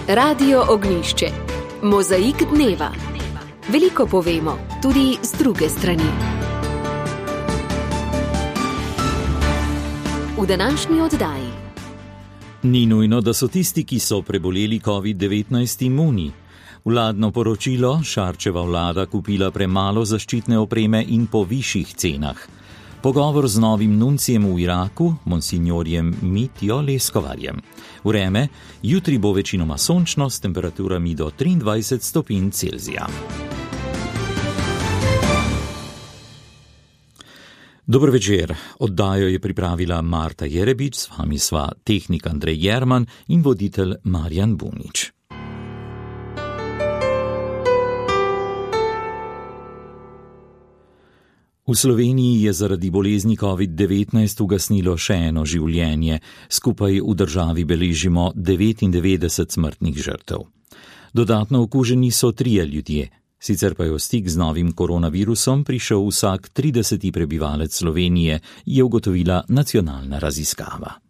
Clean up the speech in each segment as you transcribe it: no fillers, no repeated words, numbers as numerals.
Radio Ognjišče. Mozaik dneva. Veliko povemo, tudi z druge strani. V današnji oddaji. Ni nujno, da so tisti, ki so preboleli COVID-19 imuni. Vladno poročilo: Šarčeva vlada kupila premalo zaščitne opreme in po višjih cenah. Pogovor z novim nuncijem v Iraku, monsinjorjem Mitjo Leskovarjem. Vreme: jutri bo večinoma sončno s temperaturami do 23 stopinj Celzija. Dober večer. Oddajo je pripravila Marta Jerebič, s vami sva tehnik Andrej Jerman in voditelj Marjan Bunič. V Sloveniji je zaradi bolezni COVID-19 ugasnilo še eno življenje. Skupaj v državi beležimo 99 smrtnih žrtev. Dodatno okuženi so 3 ljudje. Sicer pa je v stik z novim koronavirusom prišel vsak 30. prebivalec Slovenije, je ugotovila nacionalna raziskava.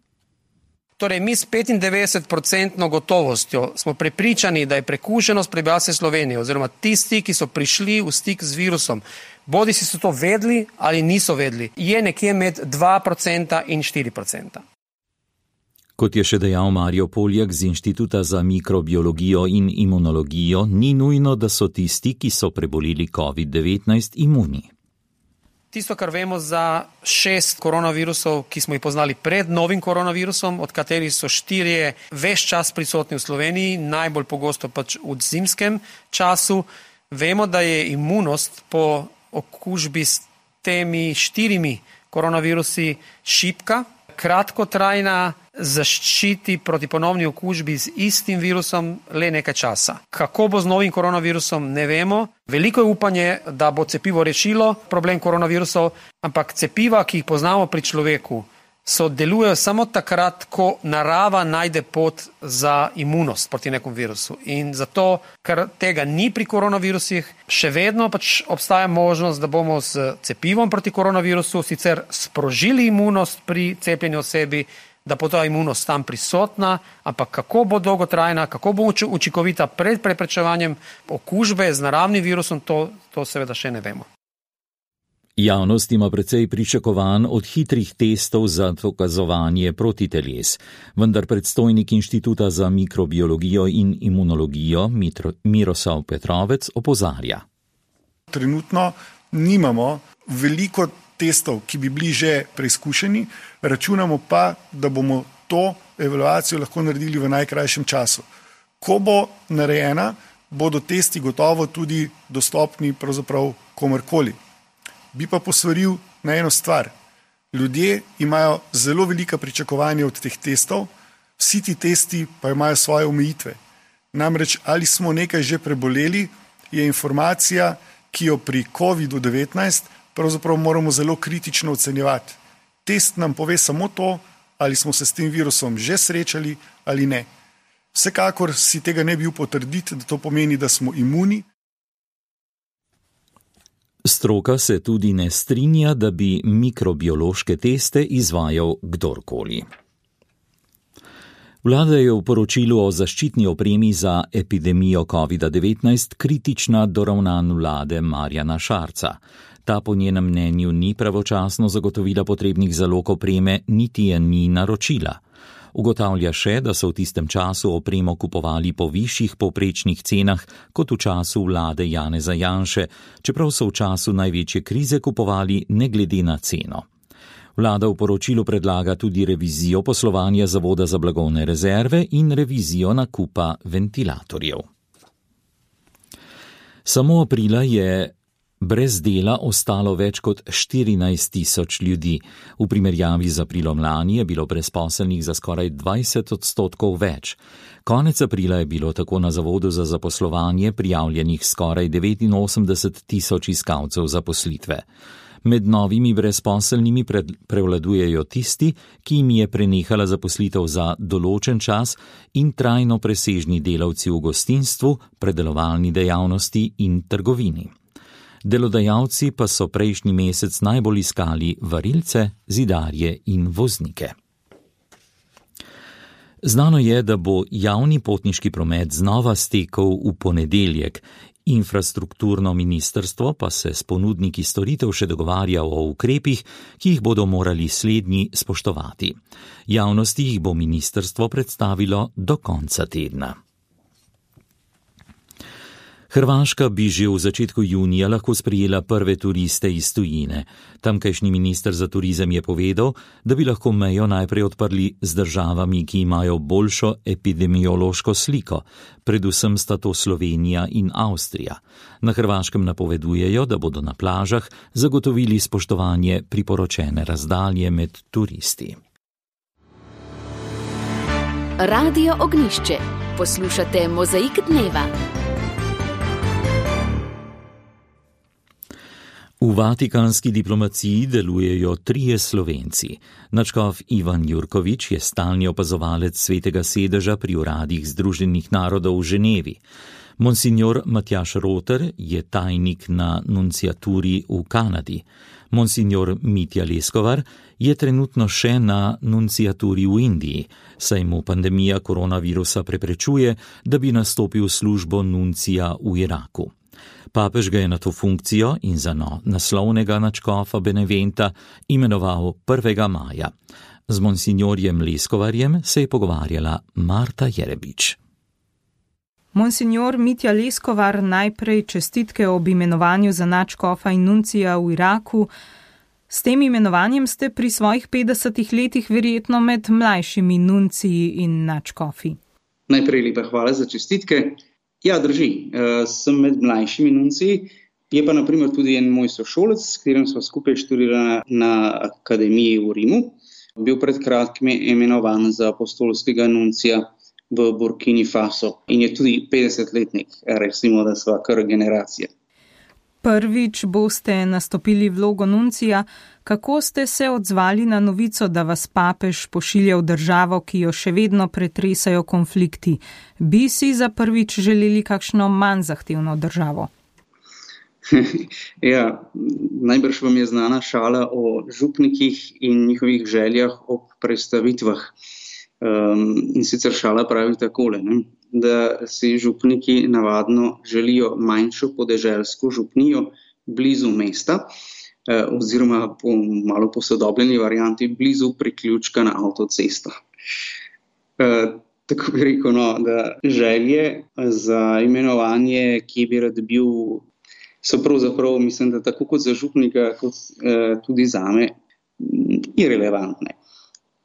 Torej, mi s 95% gotovostjo smo prepričani, da je prekuženost prebivalcev Slovenije oziroma tisti, ki so prišli v stik z virusom, bodisi so to vedeli ali niso vedeli, je nekje med 2% in 4%. Kot je še dejal Marijo Poljak z Inštituta za mikrobiologijo in imunologijo, ni nujno, da so tisti, ki so preboleli COVID-19, imuni. Tisto, kar vemo za 6 koronavirusov, ki smo jih poznali pred novim koronavirusom, od katerih so 4 ves čas prisotni v Sloveniji, najbolj pogosto pač v zimskem času, vemo, da je imunost po okužbi s temi 4 koronavirusi šibka, kratkotrajna, zaščiti proti ponovni okužbi z istim virusom le nekaj časa. Kako bo z novim koronavirusom, ne vemo. Veliko je upanje, da bo cepivo rešilo problem koronavirusov, ampak cepiva, ki jih poznamo pri človeku, delujejo samo takrat, ko narava najde pot za imunost proti nekom virusu. In zato, ker tega ni pri koronavirusih, še vedno pač obstaja možnost, da bomo s cepivom proti koronavirusu sicer sprožili imunost pri cepljeni osebi, da bo ta imunost tam prisotna, ampak kako bo dolgotrajna, kako bo učinkovita pred preprečevanjem okužbe z naravnim virusom, to seveda še ne vemo. Javnost ima precej pričakovanj od hitrih testov za dokazovanje protiteles, vendar predstojnik Inštituta za mikrobiologijo in imunologijo Miroslav Petrovec opozarja. Trenutno nimamo veliko testov, ki bi bili že preizkušeni, računamo pa, da bomo to evaluacijo lahko naredili v najkrajšem času. Ko bo narejena, bodo testi gotovo tudi dostopni pravzaprav komorkoli. Bi pa posvaril na eno stvar. Ljudje imajo zelo velika pričakovanja od teh testov, vsi ti testi pa imajo svoje omejitve. Namreč, ali smo nekaj že preboleli, je informacija, ki jo pri COVID-19 pravzaprav moramo zelo kritično ocenjevati. Test nam pove samo to, ali smo se s tem virusom že srečali ali ne. Vsekakor si tega ne bi potrditi, da to pomeni, da smo imuni. Stroka se tudi ne strinja, da bi mikrobiološke teste izvajal kdorkoli. Vlada je v poročilu o zaščitni opremi za epidemijo COVID-19 kritična do ravnanj vlade Marjana Šarca. Ta po njenem mnenju ni pravočasno zagotovila potrebnih zalog opreme, niti je ni naročila. Ugotavlja še, da so v tistem času opremo kupovali po višjih povprečnih cenah kot v času vlade Janeza Janše, čeprav so v času največje krize kupovali ne glede na ceno. Vlada v poročilu predlaga tudi revizijo poslovanja Zavoda za blagovne rezerve in revizijo nakupa ventilatorjev. Samo aprila je brez dela ostalo več kot 14.000 ljudi. V primerjavi z aprilom lani je bilo brezposelnih za skoraj 20% več. Konec aprila je bilo tako na Zavodu za zaposlovanje prijavljenih skoraj 89.000 iskalcev zaposlitve. Med novimi brezposelnimi prevladujejo tisti, ki jim je prenehala zaposlitev za določen čas, in trajno presežni delavci v gostinstvu, predelovalni dejavnosti in trgovini. Delodajalci pa so prejšnji mesec najbolj iskali varilce, zidarje in voznike. Znano je, da bo javni potniški promet znova stekel v ponedeljek. Infrastrukturno ministrstvo pa se s ponudniki storitev še dogovarja o ukrepih, ki jih bodo morali slednji spoštovati. Javnosti jih bo ministrstvo predstavilo do konca tedna. Hrvaška bi že v začetku junija lahko sprejela prve turiste iz tujine. Tamkajšnji minister za turizem je povedal, da bi lahko mejo najprej odprli z državami, ki imajo boljšo epidemiološko sliko. Predvsem sta to Slovenija in Avstrija. Na Hrvaškem napovedujejo, da bodo na plažah zagotovili spoštovanje priporočene razdalje med turisti. Radio Ognjišče. Poslušate Mozaik dneva. V vatikanski diplomaciji delujejo 3 Slovenci. Nadškof Ivan Jurkovič je stalni opazovalec Svetega sedeža pri uradih Združenih narodov v Ženevi. Monsignor Matjaž Roter je tajnik na nunciaturi v Kanadi. Monsignor Mitja Leskovar je trenutno še na nunciaturi v Indiji, saj mu pandemija koronavirusa preprečuje, da bi nastopil službo nuncija v Iraku. Papež ga je na to funkcijo in za naslovnega nadškofa Beneventa imenoval 1. maja. Z monsignorjem Leskovarjem se je pogovarjala Marta Jerebič. Monsignor Mitja Leskovar, najprej čestitke ob imenovanju za nadškofa in nuncija v Iraku. S tem imenovanjem ste pri svojih 50 letih verjetno med mlajšimi nunciji in nadškofi. Najprej lepa hvala za čestitke. Ja, drži, sem med mlajšimi nunciji, je pa naprimer tudi en moj sošolec, s katerim smo skupaj študirali na akademiji v Rimu. Bil pred kratkim imenovan za apostolskega nuncija v Burkini Faso in je tudi 50-letnik, recimo, da sva kar generacija. Prvič boste nastopili vlogo nuncija. Kako ste se odzvali na novico, da vas papež pošilja v državo, ki jo še vedno pretresajo konflikti? Bi si za prvič želeli kakšno manj zahtevno državo? Ja, najbrž vam je znana šala o župnikih in njihovih željah ob predstavitvah. In sicer šala pravi takole, da si župniki navadno želijo manjšo podeželsko župnijo blizu mesta, oziroma po malo posodobljeni varianti blizu priključka na avtocesto. Tako bi rekel, da želje za imenovanje, ki bi rad bil, so pravzaprav, mislim, da tako kot za župnika, kot tudi zame, irelevantne.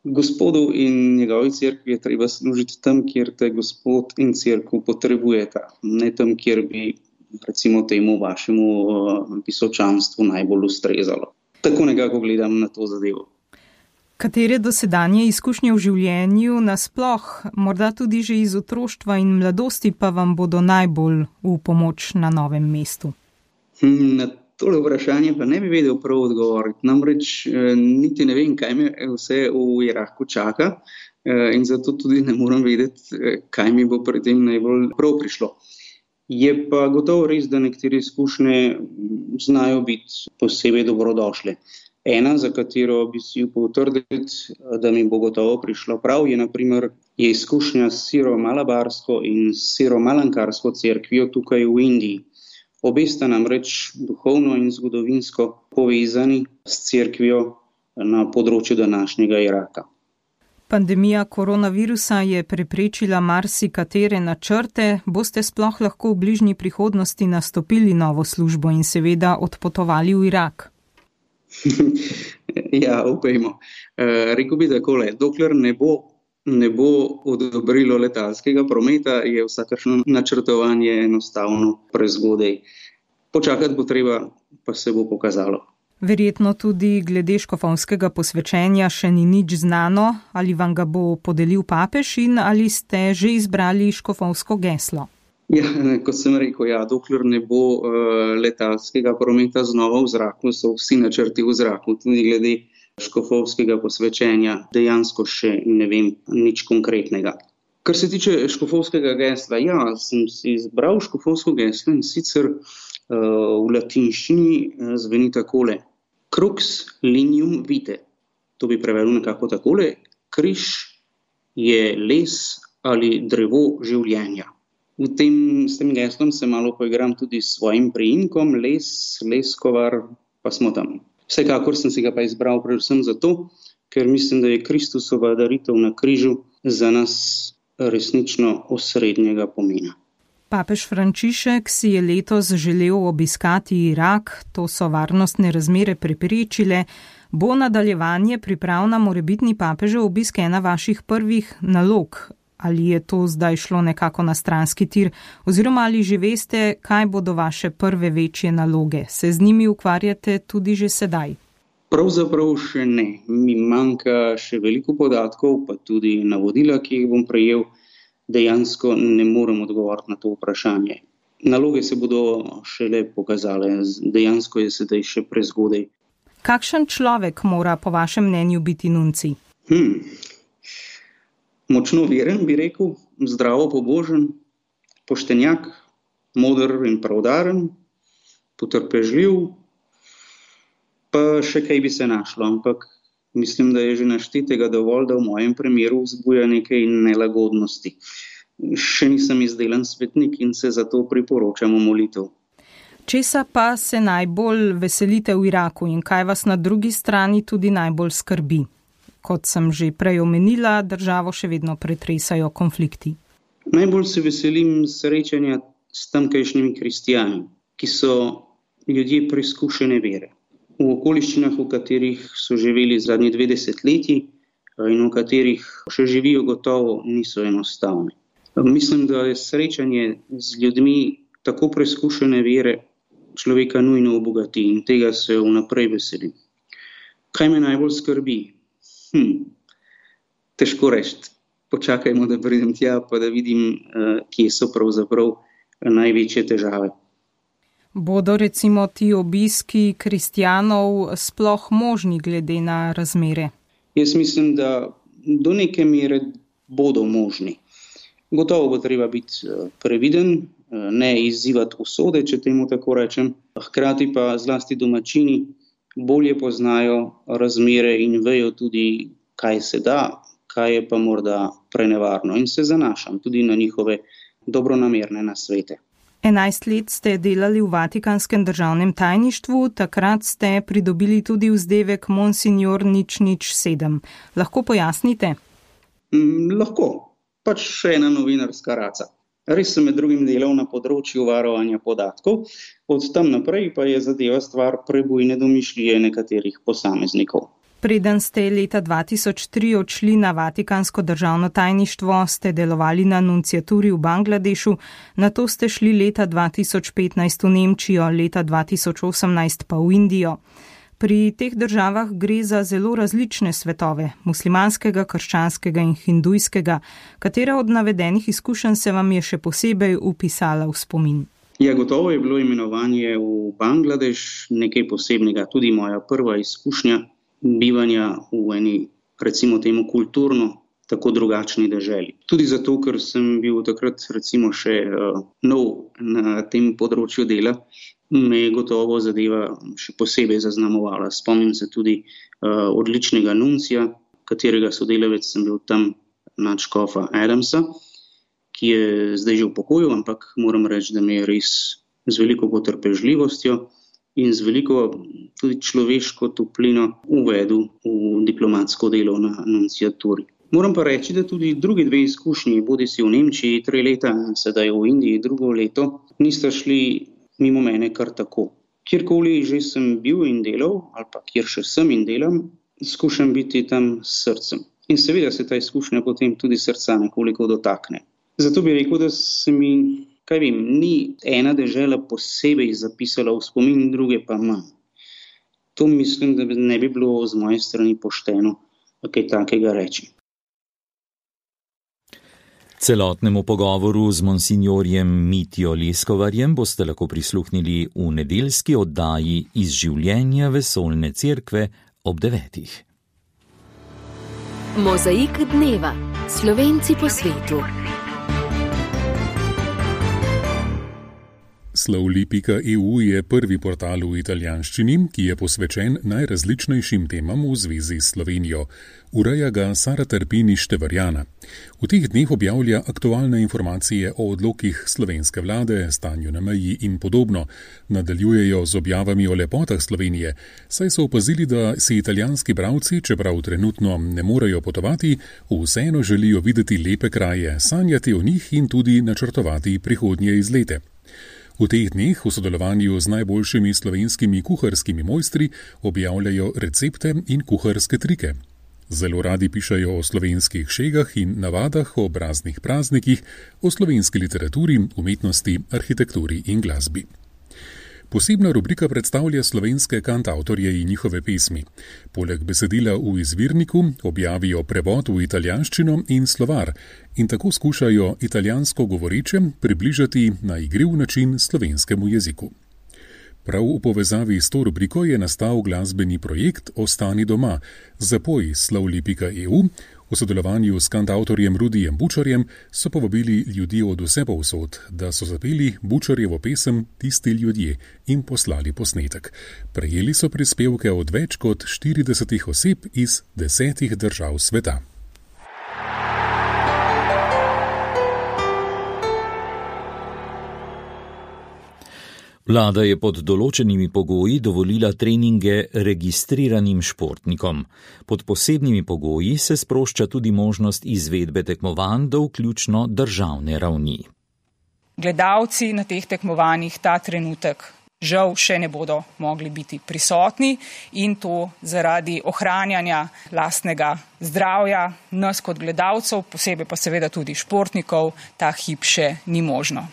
Gospodu in njegovi cerkvi je treba služiti tam, kjer te gospod in cerkev potrebujeta, ne tam, kjer bi recimo temu vašemu visočanstvu najbolj ustrezalo. Tako nekako gledam na to zadevo. Katere dosedanje izkušnje v življenju nasploh, morda tudi že iz otroštva in mladosti, pa vam bodo najbolj v pomoč na novem mestu? Na tole vprašanje pa ne bi vedel prav odgovoriti. Namreč niti ne vem, kaj me vse v Iraku čaka in zato tudi ne moram vedeti, kaj mi bo pri tem najbolj prav prišlo. Je pa gotovo res, da nekatere izkušnje znajo biti posebej dobrodošle. Ena, za katero bi si upal trditi, da mi bo gotovo prišlo prav, je naprimer izkušnja s siro-malabarsko in siro-malankarsko cerkvijo tukaj v Indiji. Obe sta namreč duhovno in zgodovinsko povezani s cerkvijo na področju današnjega Iraka. Pandemija koronavirusa je preprečila marsikatere načrte. Boste sploh lahko v bližnji prihodnosti nastopili novo službo in seveda odpotovali v Irak? Ja, upajmo. Rekel bi takole, dokler ne bo odobrilo letalskega prometa, je vsakršno načrtovanje enostavno prezgodaj. Počakati bo treba, pa se bo pokazalo. Verjetno tudi glede škofovskega posvečenja še ni nič znano, ali vam ga bo podelil papež in ali ste že izbrali škofovsko geslo? Ja, kot sem rekel, dokler ne bo letalskega prometa znova v zraku, so vsi načrti v zraku, tudi glede škofovskega posvečenja, dejansko še ne vem nič konkretnega. Kar se tiče škofovskega gesla, sem si izbral škofovsko geslo in sicer v latinščini zveni takole. Crux linium vitae. To bi prevedel nekako takole. Križ je les ali drevo življenja. S tem geslom se malo poigram tudi s svojim priimkom, Leskovar, pa smo tam. Vsekakor sem si ga pa izbral predvsem zato, ker mislim, da je Kristusova daritev na križu za nas resnično osrednjega pomena. Papež Frančišek si je letos želel obiskati Irak, to so varnostne razmere preprečile. Bo nadaljevanje priprav na morebitni papežev obisk ena vaših prvih nalog? Ali je to zdaj šlo nekako na stranski tir? Oziroma ali že veste, kaj bodo vaše prve večje naloge? Se z njimi ukvarjate tudi že sedaj? Pravzaprav še ne. Mi manjka še veliko podatkov, pa tudi navodila, ki jih bom prejel. Dejansko ne morem odgovoriti na to vprašanje. Naloge se bodo šele pokazale, dejansko je sedaj še prezgodaj. Kakšen človek mora po vašem mnenju biti nuncij? Močno veren, bi rekel, zdravo pobožen, poštenjak, moder in pravdaren, potrpežljiv, pa še kaj bi se našlo, ampak mislim, da je že naštetega dovolj, da v mojem primeru vzbuja nekaj nelagodnosti. Še nisem izdelan svetnik in se zato priporočam molitev. Česa pa se najbolj veselite v Iraku in kaj vas na drugi strani tudi najbolj skrbi? Kot sem že prej omenila, državo še vedno pretresajo konflikti. Najbolj se veselim srečanja s tamkajšnjimi kristijani, ki so ljudje preizkušene vere. V okoliščinah, v katerih so živeli zadnji 2 desetletji in v katerih še živijo, gotovo niso enostavni. Mislim, da je srečanje z ljudmi tako preizkušene vere človeka nujno obogati in tega se vnaprej veselim. Kaj me najbolj skrbi? Težko reči. Počakajmo, da pridem tja, pa da vidim, kje so pravzaprav največje težave. Bodo recimo ti obiski kristjanov sploh možni glede na razmere? Jaz mislim, da do neke mere bodo možni. Gotovo bo treba biti previden, ne izzivati usode, če temu tako rečem. Hkrati pa zlasti domačini bolje poznajo razmere in vejo tudi, kaj se da, kaj je pa morda prenevarno. In se zanašam tudi na njihove dobronamerne nasvete. 11 let ste delali v Vatikanskem državnem tajništvu, takrat ste pridobili tudi vzdevek Monsignor 007. Lahko pojasnite? Lahko, pač še ena novinarska raca. Res sem med drugim delal na področju varovanja podatkov, od tam naprej pa je zadeva stvar prebujne domišljije nekaterih posameznikov. Preden ste leta 2003 odšli na Vatikansko državno tajništvo, ste delovali na nunciaturi v Bangladešu, nato ste šli leta 2015 v Nemčijo, leta 2018 pa v Indijo. Pri teh državah gre za zelo različne svetove, muslimanskega, krščanskega in hindujskega. Katera od navedenih izkušenj se vam je še posebej vpisala v spomin? Ja, gotovo je bilo imenovanje v Bangladeš nekaj posebnega, tudi moja prva izkušnja bivanja v eni, recimo temu, kulturno tako drugačni deželi. Tudi zato, ker sem bil takrat recimo še nov na tem področju dela, me je gotovo zadeva še posebej zaznamovala. Spomnim se tudi odličnega nuncija, katerega sodelavec sem bil tam, nadškofa Adamsa, ki je zdaj že v pokoju, ampak moram reči, da me je res z veliko potrpežljivostjo in z veliko tudi človeško toplino uvedel v diplomatsko delo na nunciaturi. Moram pa reči, da tudi drugi 2 izkušnji, bodisi v Nemčiji 3 leta, sedaj v Indiji 2 leto, nista šli mimo mene kar tako. Kjerkoli že sem bil in delal, ali pa kjer še sem in delam, skušam biti tam s srcem. In seveda se ta izkušnja potem tudi srca nekoliko dotakne. Zato bi rekel, da se mi, ni ena dežela posebej zapisala v spomin, druge pa manj. To mislim, da ne bi bilo z moje strani pošteno kaj takega reči. Celotnemu pogovoru z monsignorjem Mitjo Leskovarjem boste lahko prisluhnili v nedeljski oddaji Iz življenja vesoljne cerkve ob 9. Mozaik dneva. Slovenci po svetu. Slovli.eu je prvi portal v italijanščini, ki je posvečen najrazličnejšim temam v zvezi s Slovenijo. Ureja ga Sara Terpini Števarjana. V teh dneh objavlja aktualne informacije o odlokih slovenske vlade, stanju na meji in podobno. Nadaljujejo z objavami o lepotah Slovenije, saj so opazili, da si italijanski bralci, čeprav trenutno ne morejo potovati, vseeno želijo videti lepe kraje, sanjati o njih in tudi načrtovati prihodnje izlete. V teh dneh v sodelovanju z najboljšimi slovenskimi kuharskimi mojstri objavljajo recepte in kuharske trike. Zelo radi pišejo o slovenskih šegah in navadah, o raznih praznikih, o slovenski literaturi, umetnosti, arhitekturi in glasbi. Posebna rubrika predstavlja slovenske kantavtorje in njihove pesmi. Poleg besedila v izvirniku objavijo prevod v italijanščino in slovar in tako skušajo italijansko govoreče približati na igriv način slovenskemu jeziku. Prav v povezavi s to rubriko je nastal glasbeni projekt Ostani doma, zapoj Slovli.eu. V sodelovanju s kantavtorjem Rudijem Bučarjem so povabili ljudi od vse povsod, da so zapeli Bučarjevo pesem Tisti ljudje in poslali posnetek. Prejeli so prispevke od več kot 40 oseb iz 10 držav sveta. Vlada je pod določenimi pogoji dovolila treninge registriranim športnikom. Pod posebnimi pogoji se sprošča tudi možnost izvedbe tekmovanj do vključno državne ravni. Gledalci na teh tekmovanjih ta trenutek žal še ne bodo mogli biti prisotni in to zaradi ohranjanja lastnega zdravja nas kot gledalcev, posebej pa seveda tudi športnikov, ta hip še ni možno.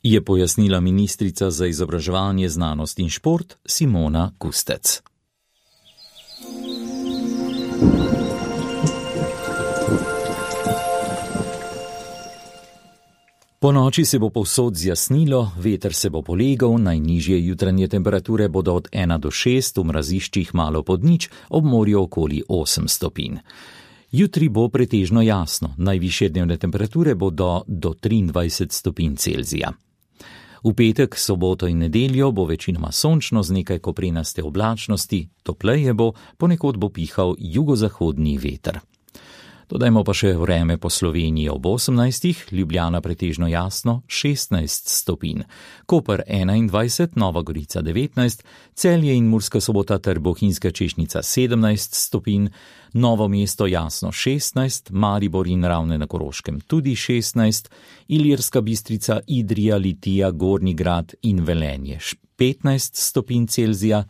Je pojasnila ministrica za izobraževanje, znanost in šport Simona Kustec. Po noči se bo povsod zjasnilo, veter se bo polegal, najnižje jutranje temperature bodo od 1 do 6, v mraziščih malo pod nič, ob morju okoli 8 stopinj. Jutri bo pretežno jasno, najvišje dnevne temperature bodo do 23 stopinj Celzija. V petek, soboto in nedeljo bo večinoma sončno z nekaj koprenaste oblačnosti, topleje bo, ponekod bo pihal jugozahodni veter. Dodajmo pa še vreme po Sloveniji ob 18, Ljubljana pretežno jasno 16 stopinj, Koper 21, Nova Gorica 19, Celje in Murska Sobota ter Bohinjska Češnica 17 stopinj, Novo mesto jasno 16, Maribor in Ravne na Koroškem tudi 16, Ilirska Bistrica, Idrija, Litija, Gornji Grad in Velenje 15 stopinj Celzija,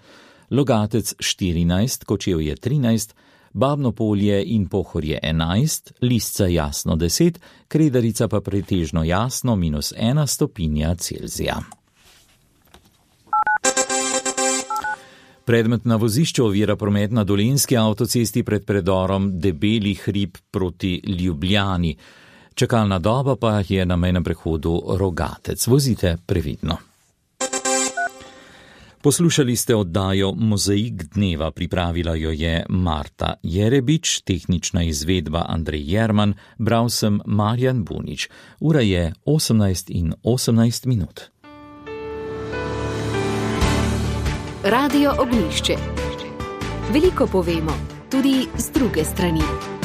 Logatec 14, Kočevje 13, Babno Polje in Pohorje 11, Lisca jasno 10, Kredarica pa pretežno jasno -1 stopinja Celzija. Predmet na vozišču ovira promet na Dolenjski avtocesti pred predorom Debeli hrib proti Ljubljani. Čakalna doba pa je na mejnem prehodu Rogatec. Vozite previdno. Poslušali ste oddajo Mozaik dneva, pripravila jo je Marta Jerebič, tehnična izvedba Andrej Jerman, bral sem Marjan Bunič. Ura je 18:18. Radio Ognjišče. Veliko povemo, tudi z druge strani.